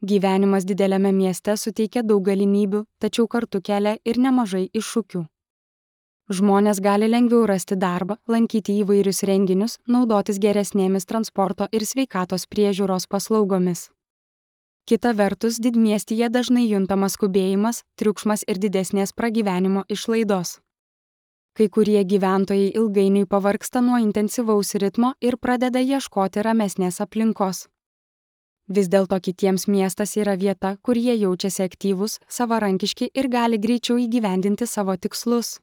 Gyvenimas dideliame mieste suteikia daug galimybių, tačiau kartu kelia ir nemažai iššūkių. Žmonės gali lengviau rasti darbą, lankyti įvairius renginius, naudotis geresnėmis transporto ir sveikatos priežiūros paslaugomis. Kita vertus, didmiestyje dažnai juntamas skubėjimas, triukšmas ir didesnės pragyvenimo išlaidos. Kai kurie gyventojai ilgainiui pavargsta nuo intensyvaus ritmo ir pradeda ieškoti ramesnės aplinkos. Vis dėlto kitiems miestas yra vieta, kur jie jaučiasi aktyvūs, savarankiški ir gali greičiau įgyvendinti savo tikslus.